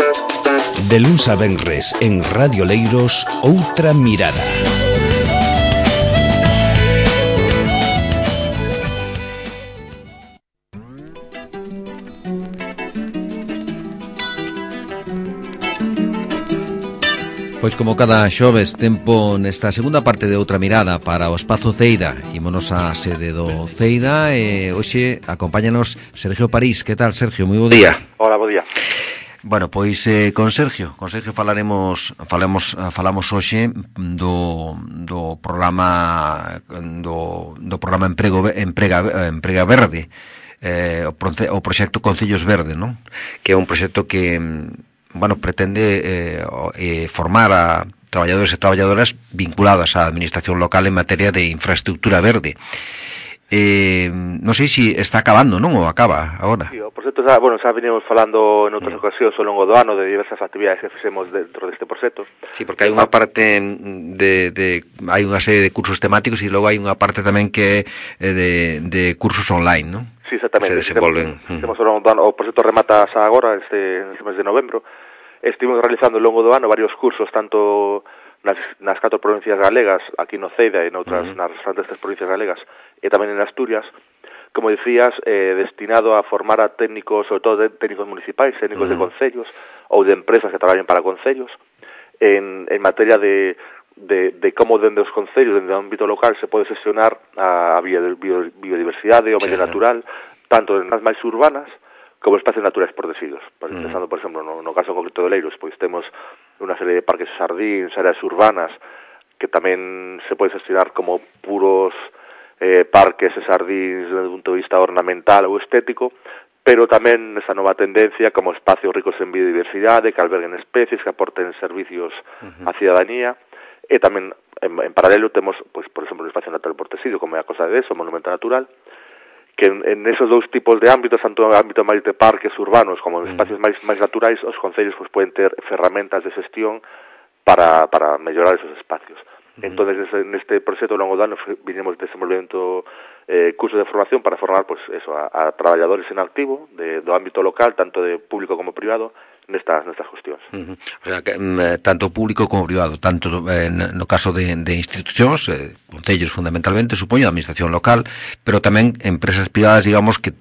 De luns a venres en Radio Leiros, Outra Mirada. Pois como cada xoves, tempo nesta segunda parte de Outra Mirada para o Espazo Ceira. Ímonos á sede do Ceira e hoxe acompáñanos Sergio París. Que tal, Sergio? Moi bo día. Hola, bo día. Bueno, pois con Sergio falamos hoxe do programa Emprega Verde, o proxecto Concellos Verde, non? Que é un proxecto que pretende formar a traballadores e traballadoras vinculadas á administración local en materia de infraestructura verde. Non sei se está acabando, non? Ou acaba agora? Sí, por certo, xa venimos falando en outras ocasións ao longo do ano de diversas actividades que fixemos dentro deste proxecto. Sí, porque hai unha parte hai unha serie de cursos temáticos e logo hai unha parte tamén que de cursos online, non? Sí, exactamente. Se desenvolven. Temos ao longo do ano, o proxecto remata xa agora, este mes de novembro. Estivemos realizando ao longo do ano varios cursos, tanto nas 4 provincias galegas, aquí no Ceida e noutras nas restantes 3 provincias galegas, e tamén en Asturias, como decías, destinado a formar a técnicos, sobre todo técnicos municipais, técnicos de concellos, ou de empresas que traballen para concellos, en materia de como dende os concellos, dende o ámbito local, se pode xestionar a biodiversidade, o medio natural, tanto en as máis urbanas, como espacios naturais protegidos. Pensando, por exemplo, no caso concreto de Leiros, pois temos unha serie de parques sardíns, áreas urbanas, que tamén se pode xestionar como puros parques e sardíns desde un punto de vista ornamental ou estético, pero tamén esa nova tendencia como espacios ricos en biodiversidade, que alberguen especies, que aporten servicios á cidadanía, e tamén en paralelo temos, pois, por exemplo, un espacio natural protegido, como é a Costa de Deso, o Monumento Natural, que en esos dous tipos de ámbitos, tanto en ámbito máis de parques urbanos como en espacios máis naturais, os concellos pues, poden ter ferramentas de xestión para mellorar esos espacios. Entonces, neste proxecto ao longo do ano vinimos desenvolvendo cursos de formación para formar pues, eso, a traballadores en activo do ámbito local, tanto de público como privado, nestas cuestións. O sea, que, tanto público como privado, tanto no caso de institucións, concellos fundamentalmente, supoño, a administración local, pero tamén empresas privadas, digamos, que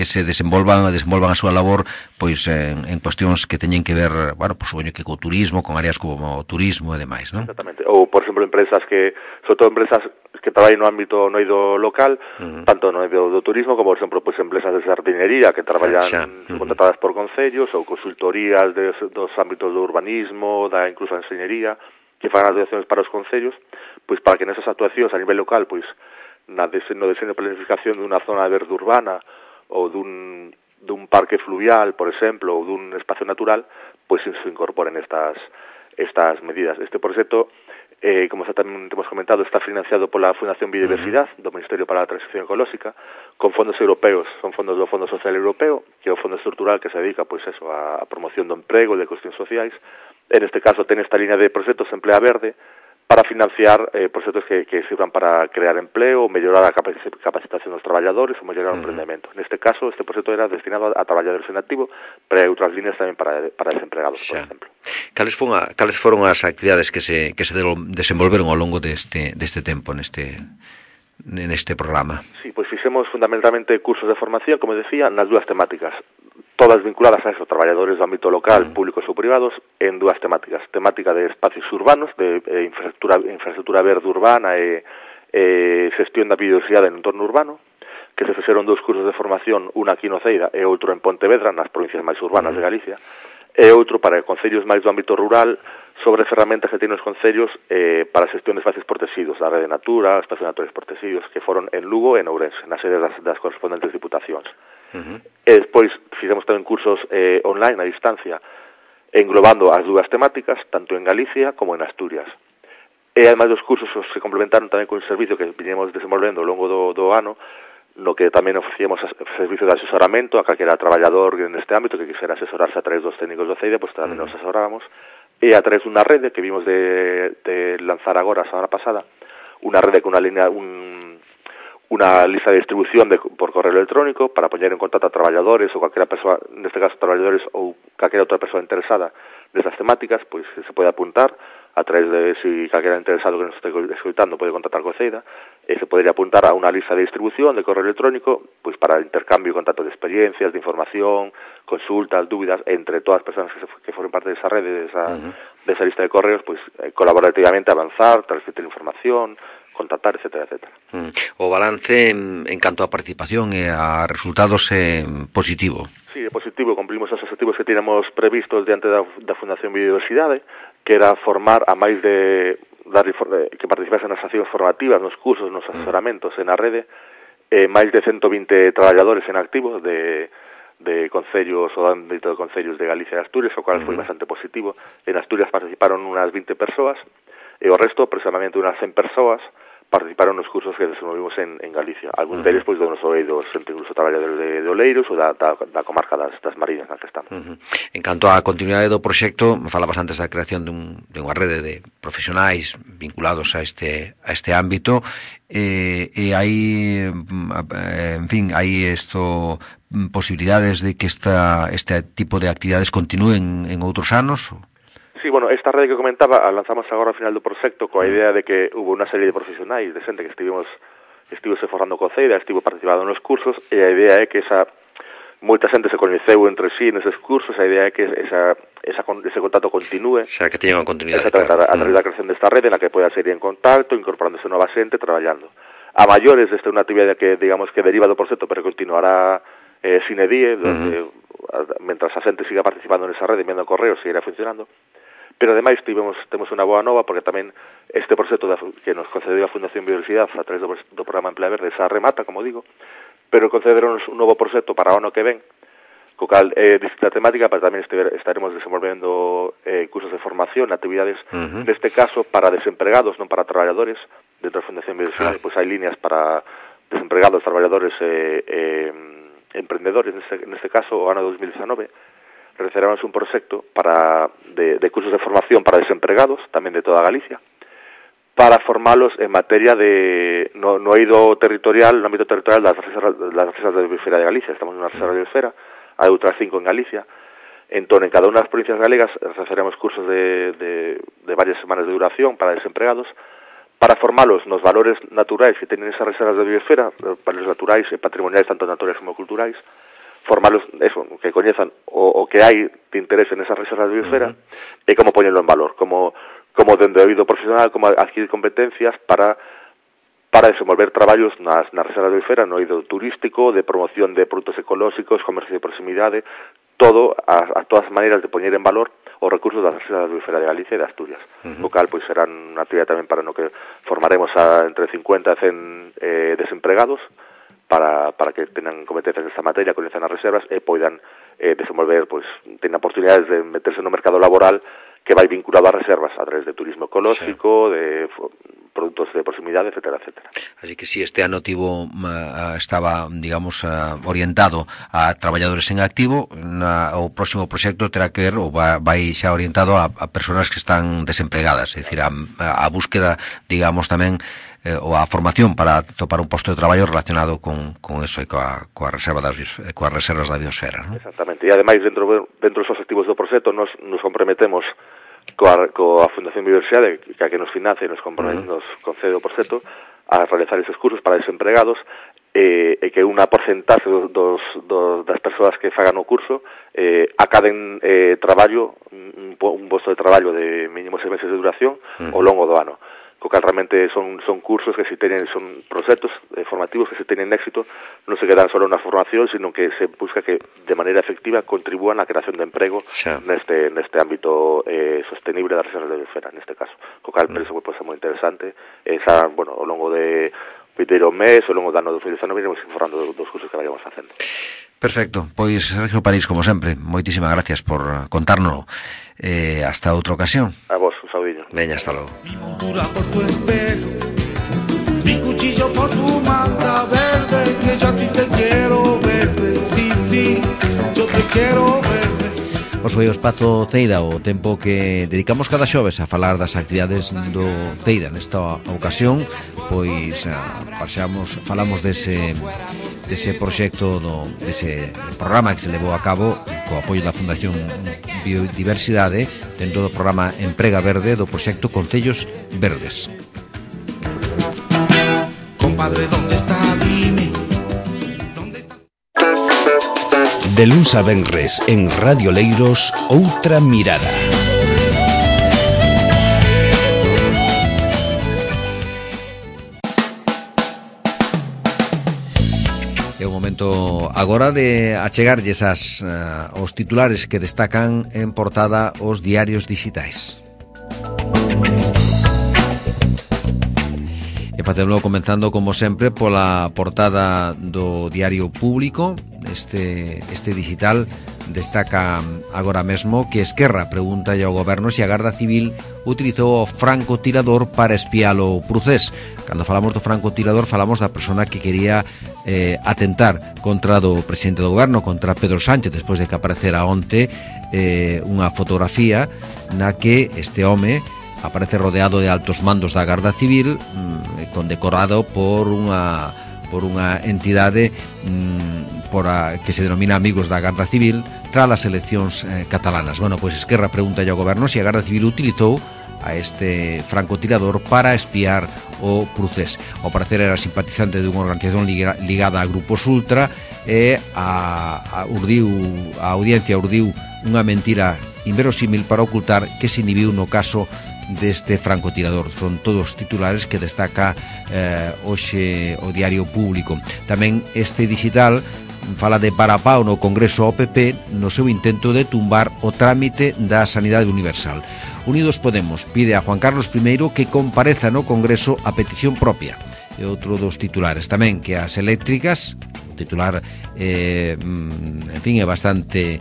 se desenvolvan a súa labor pois en cuestións que teñen que ver, bueno, pues, supoño que co turismo, con áreas como o turismo e demais, non? Exactamente. Ou, por exemplo, empresas que, sobre todo empresas que traballan no ámbito no eido local, tanto no eido do turismo como, por exemplo, pues, empresas de sardinería que traballan contratadas por concellos ou consultorías dos ámbitos do urbanismo, incluso da enxeñería, que fan actuacións para os concellos, pois para que nesas actuacións a nivel local, pois no diseño e planificación dunha zona verde urbana ou dun parque fluvial, por exemplo, ou dun espacio natural, pois se incorporen estas medidas. Este proxecto, como xa tamén temos comentado, está financiado pola Fundación Biodiversidade do Ministerio para a Transición Ecolóxica, con fondos europeos, son fondos do Fondo Social Europeo, que é o fondo estrutural que se dedica pois eso a promoción do emprego e de cuestións sociais. En este caso ten esta línea de proxectos Emplea Verde para financiar proxectos que sirvan para crear empleo, mellorar a capacitación dos traballadores ou mellorar o emprendemento. Neste caso, este proxecto era destinado a traballadores en activo, pero hai outras líneas tamén para desempregados, por exemplo. Cales foron as actividades que se desenvolveron ao longo deste tempo neste programa? Sí, pois fixemos fundamentalmente cursos de formación, como decía, nas dúas temáticas, todas vinculadas a eso, traballadores do ámbito local, públicos ou privados, en dúas temáticas. Temática de espacios urbanos, de infraestructura verde urbana e xestión da biodiversidade no entorno urbano, que se fixeron 2 cursos de formación, unha aquí no Ceira e outro en Pontevedra, nas provincias máis urbanas de Galicia, e outro para concellos máis do ámbito rural, sobre ferramentas que teñen os concellos para a xestión de espacios protegidos, da Rede Natura, espacios naturales protegidos, que foron en Lugo e en Ourense, nas sedes das correspondentes diputacións. E despois fixemos tamén cursos online, a distancia, englobando as dúas temáticas, tanto en Galicia como en Asturias. E ademais dos cursos se complementaron tamén con un servicio que viñemos desenvolvendo ao longo do ano, no que tamén ofrecíamos servicios de asesoramento a calquera traballador neste ámbito que quixera asesorarse a través dos técnicos do CEIDE, pois tamén nos asesorábamos, e a través dunha rede que vimos de lanzar agora a semana pasada, unha rede con unha línea, una lista de distribución por correo electrónico para poner en contacto a traballadores ou calquera persoa, neste caso traballadores ou calquera outra persoa interesada nestas temáticas, pois se pode apuntar a través de, si calquera interesado que nos este escoitando pode contactar co CEIDA, se podería apuntar a unha lista de distribución de correo electrónico pois para intercambio e contacto de experiencias, de información, consultas, dúbidas entre todas as persoas que formen parte desa rede, desa lista de correos, pois colaborativamente avanzar, transmitir información, contactar, etcétera, etcétera. O balance en canto a participación e a resultados é positivo. Sí, é positivo, cumplimos os objetivos que tínhamos previstos diante da Fundación Biodiversidade, que era formar a máis de que participasen nas accións formativas, nos cursos, nos asesoramentos e na rede, máis de 120 traballadores en activo de concellos ou ámbito de concellos de Galicia e Asturias, o cual foi bastante positivo. En Asturias participaron unas 20 persoas, e o resto, aproximadamente unas 100 persoas, participaron nos cursos que desenvolvimos en Galicia. Algúns deles, pois, do noso eidos, incluso traballadores de Oleiros ou da comarca das Mariñas na que estamos. En canto á continuidade do proxecto, falabas antes da creación de unha rede de profesionais vinculados a este ámbito, e hai, en fin, hai posibilidades de que este tipo de actividades continúen en outros anos? Sí, bueno, esta rede que comentaba a lanzamos agora ao final do proxecto coa idea de que hubo unha serie de profesionais de xente que estivose forrando co CEIDA, estivo participando nos cursos, e a idea é que moita xente se coñeceu entre sí neses cursos, a idea é que ese contacto continúe. O sea, que teña unha continuidade. Exactamente, a través da creación desta rede na que poida seguir en contacto, incorporándose nova xente, traballando. A maiores, esta é unha actividade que, digamos, que deriva do proxecto, pero continuará sine die, mentras a xente siga participando nesa rede, enviando correos, seguirá funcionando. Pero ademais temos unha boa nova, porque tamén este proxecto que nos concedeu a Fundación Biodiversidade a través do programa Emplea Verde xa remata, como digo, pero concederonos un novo proxecto para o ano que ven, co cal distinta temática, pero tamén estaremos desenvolvendo cursos de formación, actividades, neste caso para desempregados, non para traballadores, dentro da Fundación Biodiversidade, pois hai líneas para desempregados, traballadores emprendedores, neste caso o ano 2019, realizaremos un proxecto de cursos de formación para desempregados, tamén de toda Galicia, para formalos en materia no eido territorial, no ámbito territorial das reservas de biosfera de Galicia. Estamos nunha reserva de biosfera, hai outras 5 en Galicia. Entón, en cada unha das provincias galegas realizaremos cursos de varias semanas de duración para desempregados, para formalos nos valores naturais que teñen esas reservas de biosfera, valores naturais e patrimoniais, tanto naturais como culturais, formalos, eso, que coñezan o que hai de interés en esas reservas de biosfera, e como poñelo en valor, como dende o eido profesional, como adquirir competencias para desenvolver traballos nas reservas de biosfera, no eido turístico, de promoción de produtos ecolóxicos, comercio de proximidade, todas as maneiras de poñer en valor os recursos das reservas de biosfera de Galicia e de Asturias. O cal, pois, serán unha actividade tamén para no que formaremos entre 50 e 100 desempregados, para que tenan competencias nesta materia, coñezan as reservas e poidan desenvolver, pois, tenan oportunidades de meterse no mercado laboral que vai vinculado ás reservas a través de turismo ecolóxico, de produtos de proximidade, etcétera, etcétera. Así que si este ano estaba, digamos, orientado a traballadores en activo, o próximo proxecto terá que ver, ou vai xa orientado a persoas que están desempregadas, é dicir, a búsqueda, digamos, tamén ou a formación para topar un posto de traballo relacionado con eso e coas reservas da biosfera, ¿no? Exactamente, e ademais dentro dos objetivos do proxecto nos comprometemos coa Fundación Biodiversidade, que nos financia e nos concede o proxecto, a realizar esos cursos para desempregados, e que unha porcentaxe das persoas que fagan o curso acaden traballo, un posto de traballo de mínimo 6 meses de duración ao longo do ano. Co cal realmente son cursos que son proxectos formativos que se teñen éxito, non se quedan só na formación, sino que se busca que de maneira efectiva contribúan á creación de emprego neste ámbito sostenible da reserva de biosfera, neste caso. Co cal, penso que pode ser moi interesante. Ao longo de vindeiro mes, ao longo do ano 2019, iremos informando dos cursos que vayamos facendo. Perfecto, pois Sergio París, como sempre, moitísimas gracias por contárnoslo. Hasta outra ocasión. A vos, un saudiño. Veña, hasta logo. Mi montura por tu espejo, mi cuchillo por tu manta verde, que yo a ti te quiero verde, sí, yo te quiero verde. Os pois foi o Espazo Teida, o tempo que dedicamos cada xoves a falar das actividades do Teida. Nesta ocasión, pois falamos dese proxecto, dese programa que se levou a cabo co apoio da Fundación Biodiversidade dentro do programa Emprega Verde do proxecto Concellos Verdes. Compadre, ¿dónde está? Dime. De luns a venres en Radio Leiros, Outra Mirada. É o momento agora de achegarlles os titulares que destacan en portada os diarios digitais. E facémolo comenzando, como sempre, pola portada do Diario Público. Este digital destaca agora mesmo que Esquerra pregunta ao goberno se a Garda Civil utilizou o francotirador para espiar o Procés. Cando falamos do francotirador, falamos da persona que quería atentar contra do presidente do goberno, contra Pedro Sánchez, despois de que aparecera onte unha fotografía na que este home aparece rodeado de altos mandos da Garda Civil, condecorado por unha entidade que se denomina Amigos da Garda Civil tras as eleccións catalanas. Bueno, pois Esquerra pregunta ao goberno se a Garda Civil utilizou a este francotirador para espiar o Procés. Ao parecer era simpatizante dunha organización ligada a grupos ultra e a audiencia urdiu unha mentira inverosímil para ocultar que se inhibiu no caso deste francotirador. Son todos titulares que destaca hoxe o Diario Público. Tamén este digital fala de parapao no Congreso ao PP no seu intento de tumbar o trámite da Sanidade Universal. Unidos Podemos pide a Juan Carlos I que compareza no Congreso a petición propia. E outro dos titulares tamén, que as eléctricas, o titular en fin, é bastante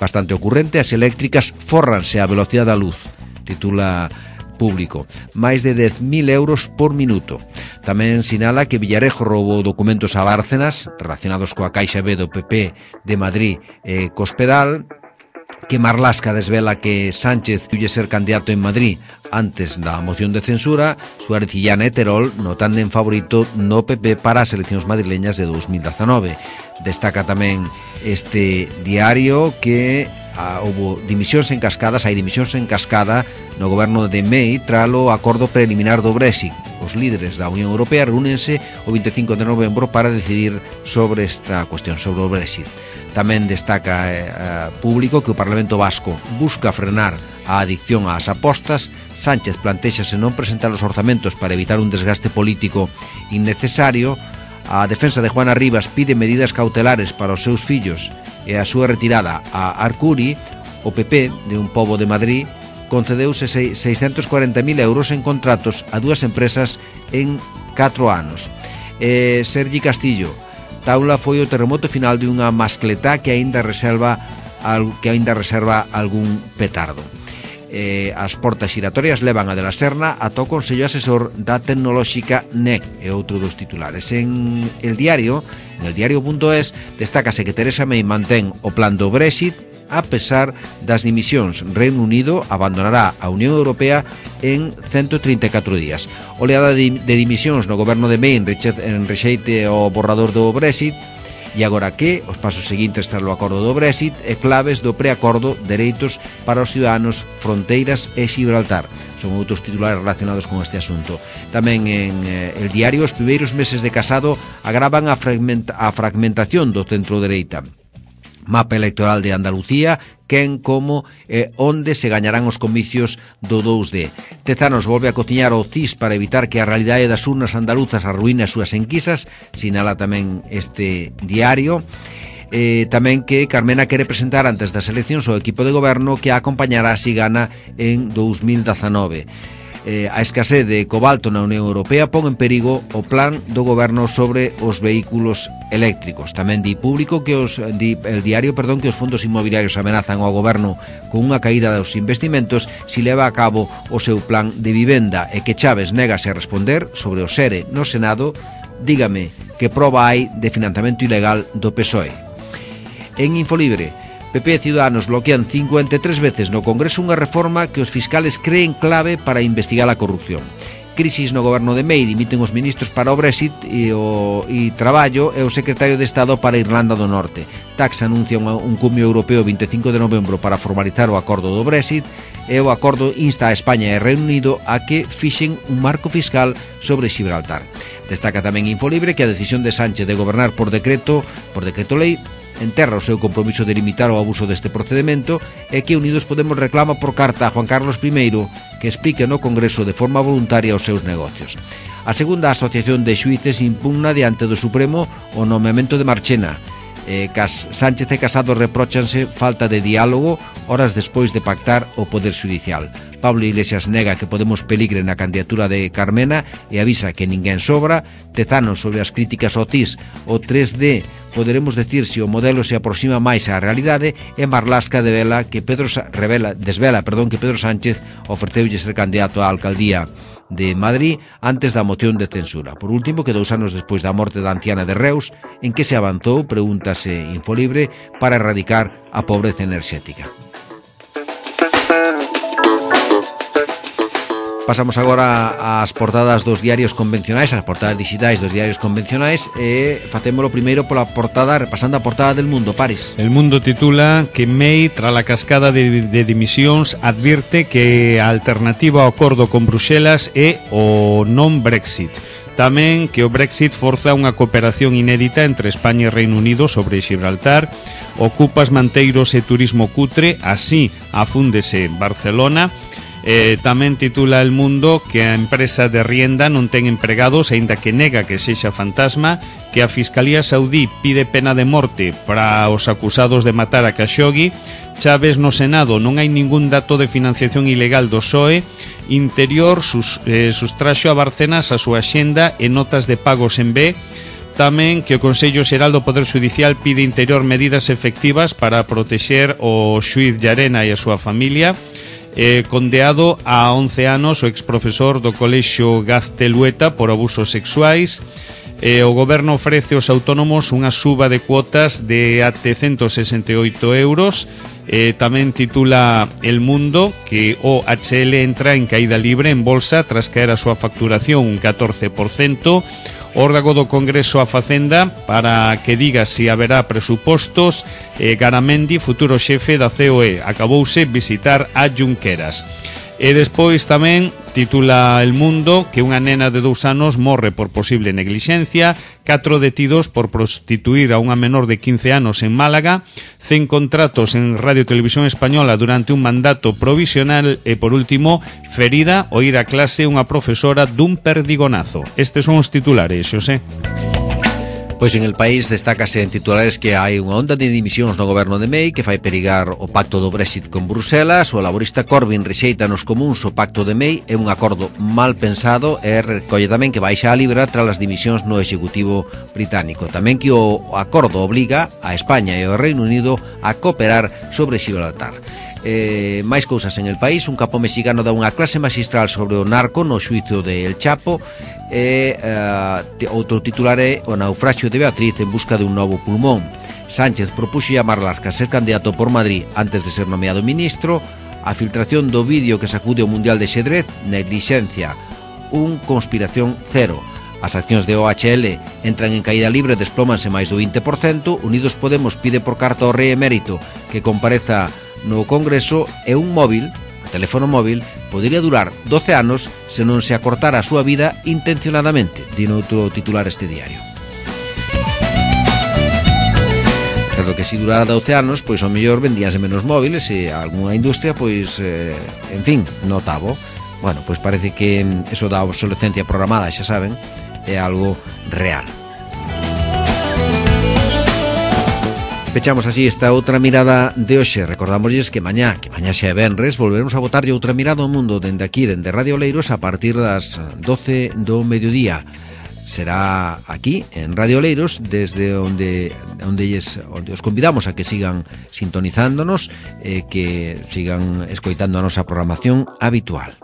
bastante ocurrente, as eléctricas fórranse a velocidade da luz, titula Público. Máis de 10.000 euros por minuto. Tamén sinala que Villarejo roubou documentos a Bárcenas relacionados coa Caixa B do PP de Madrid e Cospedal, que Marlaska desvela que Sánchez lle ser candidato en Madrid antes da moción de censura. Suárez Illana e Terol notan en favorito no PP para as eleccións madrileñas de 2019. Destaca tamén este diario que houbo dimisións en cascada, hai dimisións en cascada no goberno de May tralo acordo preliminar do Brexit. Os líderes da Unión Europea reúnense o 25 de novembro para decidir sobre esta cuestión, sobre o Brexit. Tamén destaca Público que o Parlamento Vasco busca frenar a adicción ás apostas. Sánchez plantéxase non presentar os orzamentos para evitar un desgaste político innecesario. A defensa de Juana Rivas pide medidas cautelares para os seus fillos e a súa retirada a Arcuri. O PP de Un Pobo de Madrid concedeuse 640.000 euros en contratos a dúas empresas en 4 anos. Sergi Castillo, Taula foi o terremoto final de unha mascletá que aínda reserva algún petardo. As portas xiratorias levan a de la Serna ata o Consello Asesor da Tecnolóxica NEC, e outro dos titulares. En el diario.es destácase que Teresa May mantén o plan do Brexit a pesar das dimisións. Reino Unido abandonará a Unión Europea en 134 días. Oleada de dimisións no goberno de May en rexeite ao borrador do Brexit. E agora que os pasos seguintes tras o acordo do Brexit e claves do preacordo, dereitos para os ciudadanos, fronteiras e Gibraltar. Son outros titulares relacionados con este asunto. Tamén en el diario, os primeiros meses de casado agravan a fragmentación do centro-dereita. Mapa electoral de Andalucía, quen, como e onde se gañarán os comicios do 2D. Tezanos volve a cociñar o CIS para evitar que a realidade das urnas andaluzas arruine as súas enquisas, sinala tamén este diario. Tamén que Carmena quere presentar antes das eleccións o equipo de goberno que a acompañará si gana en 2019. A escasez de cobalto na Unión Europea pon en perigo o plan do goberno sobre os vehículos eléctricos. Tamén di Público que el diario que os fondos inmobiliarios amenazan ao goberno con unha caída dos investimentos si leva a cabo o seu plan de vivenda, e que Chaves negase a responder sobre o SERE no Senado. Dígame que proba hai de financiamento ilegal do PSOE. En Infolibre, PP e Ciudadanos bloquean 53 veces no Congreso unha reforma que os fiscales creen clave para investigar a corrupción. Crisis no goberno de May, dimiten os ministros para o Brexit e Traballo e o secretario de Estado para Irlanda do Norte. Tax anuncia un cumio europeo 25 de novembro para formalizar o acordo do Brexit e o acordo insta a España e Reino Unido a que fixen un marco fiscal sobre Gibraltar. Destaca tamén Infolibre que a decisión de Sánchez de gobernar por decreto lei enterra o seu compromiso de limitar o abuso deste procedimento e que Unidos Podemos reclama por carta a Juan Carlos I que explique no Congreso de forma voluntaria os seus negocios. A segunda asociación de xuíces impugna diante do Supremo o nomeamento de Marchena. Sánchez e Casado repróchanse falta de diálogo horas despois de pactar o Poder Xudicial. Pablo Iglesias nega que Podemos peligre na candidatura de Carmena e avisa que ninguén sobra. Tezanos sobre as críticas ao TIS, o 3D poderemos decir se o modelo se aproxima máis á realidade, e Marlasca desvela que Pedro Sánchez ofreceulle ser candidato á alcaldía de Madrid antes da moción de censura. Por último, que 2 anos despois da morte da anciana de Reus, en que se avanzou, pregúntase Infolibre, para erradicar a pobreza enerxética. Pasamos agora ás portadas dos diarios convencionais, ás portadas digitais dos diarios convencionais, e facémolo primeiro pola portada, repasando a portada del Mundo. Paris. El Mundo titula que May, tras a cascada de dimisións, advirte que a alternativa ao acordo con Bruxelas é o non Brexit. Tamén que o Brexit forza unha cooperación inédita entre España e Reino Unido sobre Gibraltar, ocupas manteiros e turismo cutre, así afúndese Barcelona. Tamén titula El Mundo que a empresa de Rienda non ten empregados, aínda que nega que sexa fantasma, que a Fiscalía Saudí pide pena de morte para os acusados de matar a Khashoggi. Chaves no Senado, non hai ningún dato de financiación ilegal do PSOE. Interior sustraxo a Barcenas a súa axenda e notas de pagos en B. Tamén que o Consello Xeral do Poder Judicial pide Interior medidas efectivas para protexer o xuíz Llarena e a súa familia. Condeado a 11 anos o exprofesor do Colexio Gaztelueta por abusos sexuais. O goberno ofrece aos autónomos unha suba de cuotas de até 168 euros. Tamén titula El Mundo que OHL entra en caída libre en bolsa tras caer a súa facturación un 14%. Órdago do Congreso a Facenda para que diga se haberá presupostos. Garamendi, futuro xefe da COE, acabouse visitar a Junqueras. E despois tamén titula El Mundo que unha nena de 2 anos morre por posible neglixencia, 4 detidos por prostituir a unha menor de 15 anos en Málaga, 100 contratos en Radio Televisión Española durante un mandato provisional e, por último, ferida ao ir a clase unha profesora dun perdigonazo. Estes son os titulares, Xosé. Pois en El País destácase en titulares que hai unha onda de dimisións no goberno de May que fai perigar o pacto do Brexit con Bruselas. O laborista Corbyn rexeita nos comuns o pacto de May, é un acordo mal pensado e recolle tamén que baixa a libra tras as dimisións no Executivo británico. Tamén que o acordo obliga a España e ao Reino Unido a cooperar sobre Gibraltar. Máis cousas en El País. Un capo mexicano dá unha clase magistral sobre o narco no xuizo de El Chapo. Outro titular é o naufraxio de Beatriz en busca de un novo pulmón. Sánchez propuxo a Marlaska ser candidato por Madrid antes de ser nomeado ministro. A filtración do vídeo que sacude o Mundial de Xedrez, neglixencia, conspiración cero. As accións de OHL entran en caída libre, desplómanse máis do 20%. Unidos Podemos pide por carta ao rei emérito que compareza no Congreso, e un móvil, o teléfono móvil, podería durar 12 anos se non se acortara a súa vida intencionadamente, di noutro titular este diario. Pero que se durara 12 anos, pois ao mellor vendíanse menos móviles e algunha industria, pois, en fin, notabo. Bueno, pois parece que eso da obsolescencia programada, xa saben, é algo real. Pechamos así esta outra mirada de hoxe. Recordámosles que mañá xa é venres, volveremos a botarlle outra mirada ao mundo dende aquí, dende Radio Oleiros, a partir das 12 do mediodía. Será aquí, en Radio Oleiros, desde onde os convidamos a que sigan sintonizándonos, que sigan escoitando a nosa programación habitual.